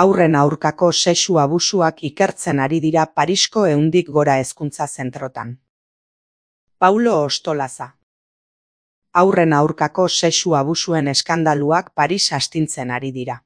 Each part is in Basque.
Haurren aurkako sexu abusuak ikertzen ari dira Parisko 100 gora hezkuntza zentrotan. Paulo Ostolaza. Haurren aurkako sexu abusuen eskandaluak Paris astintzen ari dira.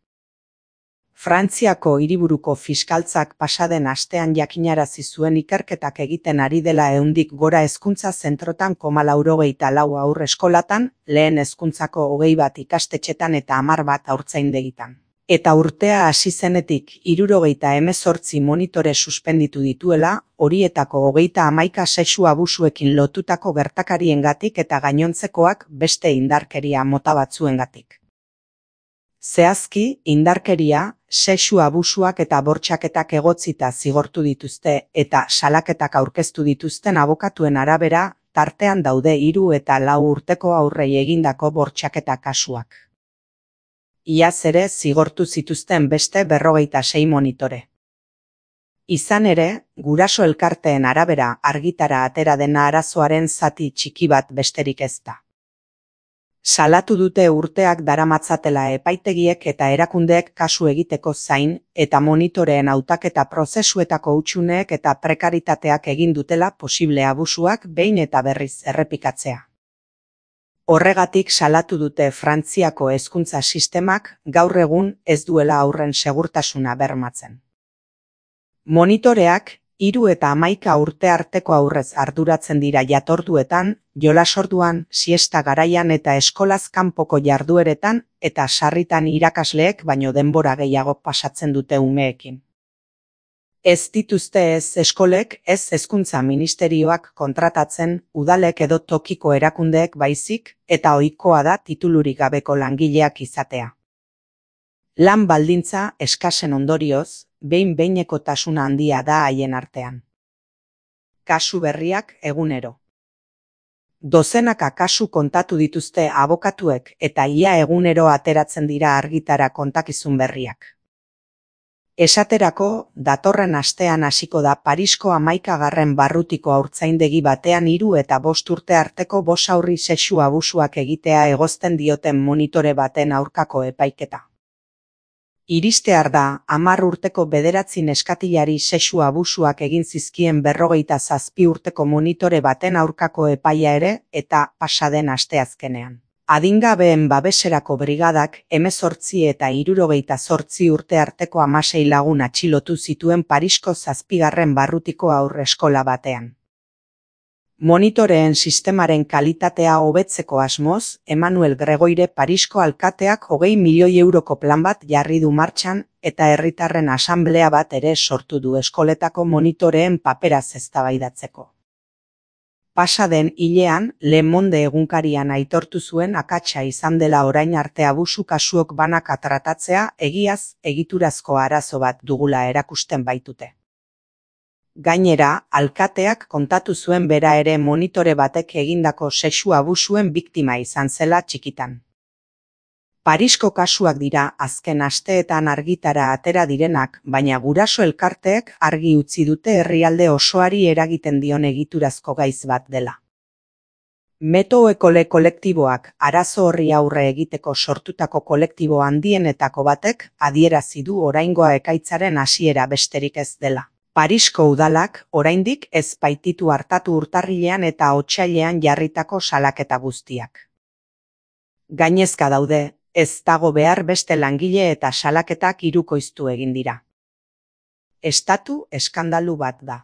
Frantziako hiriburuko fiskaltzak pasaden astean jakinarazi zuen ikerketak egiten ari dela 100 gora hezkuntza zentrotan 94 haur eskolatan, lehen hezkuntzako 21 ikastetxetan eta 11 haurtzaindegitan. Eta urtea hasi zenetik 78 monitore suspenditu dituela, horietako 31 sexu abusuekin lotutako gertakariengatik eta gainontzekoak beste indarkeria mota batzuengatik. Zehazki, indarkeria, sexu abusuak eta bortxaketak egotzita zigortu dituzte eta salaketak aurkeztu dituzten abokatuen arabera, tartean daude 3 eta 4 urteko haurrei egindako bortxaketa kasuak. Iaz ere zigortu zituzten beste 56 monitore. Izan ere, guraso elkarteen arabera argitara atera dena arazoaren zati txiki bat besterik ez da. Salatu dute urteak daramatzatela epaitegiek eta erakundeek kasu egiteko zain eta monitoreen hautaketa prozesuetako hutsuneek eta prekaritateak egin dutela posible abusuak behin eta berriz errepikatzea. Horregatik salatu dute Frantziako hezkuntza sistemak gaur egun ez duela haurren segurtasuna bermatzen. Monitoreak 3 eta 11 urte arteko haurrez arduratzen dira jatorduetan, jolasorduan, siesta garaian eta eskolaz kanpoko jardueretan eta sarritan irakasleek baino denbora gehiago pasatzen dute umeekin. Ez dituzte ez eskolek, ez hezkuntza ministerioak kontratatzen, udalek edo tokiko erakundeek baizik, eta ohikoa da titulurik gabeko langileak izatea. Lan baldintza eskasen ondorioz, behin-behinekotasuna handia da haien artean. Kasu berriak egunero. Dozenaka kasu kontatu dituzte abokatuek eta ia egunero ateratzen dira argitara kontakizun berriak. Esaterako, datorren astean hasiko da Parisko 11. barrutiko haurtzaindegi batean 3 eta 5 urte arteko 5 haurri sexu abusuak egitea egozten dioten monitore baten aurkako epaiketa. Iristear da 10 urteko 9 neskatilari sexu abusuak egin zizkien 57 urteko monitore baten aurkako epaia ere eta pasaden asteazkenean. Adingabeen babeserako brigadak 18 eta 78 urte arteko 16 lagun atxilotu zituen Parisko 7. barrutiko haur eskola batean. Monitoreen sistemaren kalitatea hobetzeko asmoz, Emmanuel Gregoire Parisko alkateak 20 milioi euroko plan bat jarri du martxan eta herritarren asanblea bat ere sortu du eskoletako monitoreen paperaz eztabaidatzeko. Pasaden hilean, Le Monde egunkarian aitortu zuen akatsa izan dela orain arte abusu kasuok banaka tratatzea egiaz egiturazko arazo bat dugula erakusten baitute. Gainera, alkateak kontatu zuen bera ere monitore batek egindako sexu abusuen biktima izan zela txikitan. Parisko kasuak dira azken asteetan argitara atera direnak, baina guraso elkarteek argi utzi dute herrialde osoari eragiten dion egiturazko gaiz bat dela. Metoekole kolektiboak arazo horri aurre egiteko sortutako kolektibo handienetako batek adierazi du oraingoa ekaitzaren hasiera besterik ez dela. Parisko udalak oraindik ez baititu hartatu urtarrilean eta otsailean jarritako salaketa guztiak. Gainezka daude, ez dago behar beste langile eta salaketak hirukoiztu egin dira. Estatu eskandalu bat da.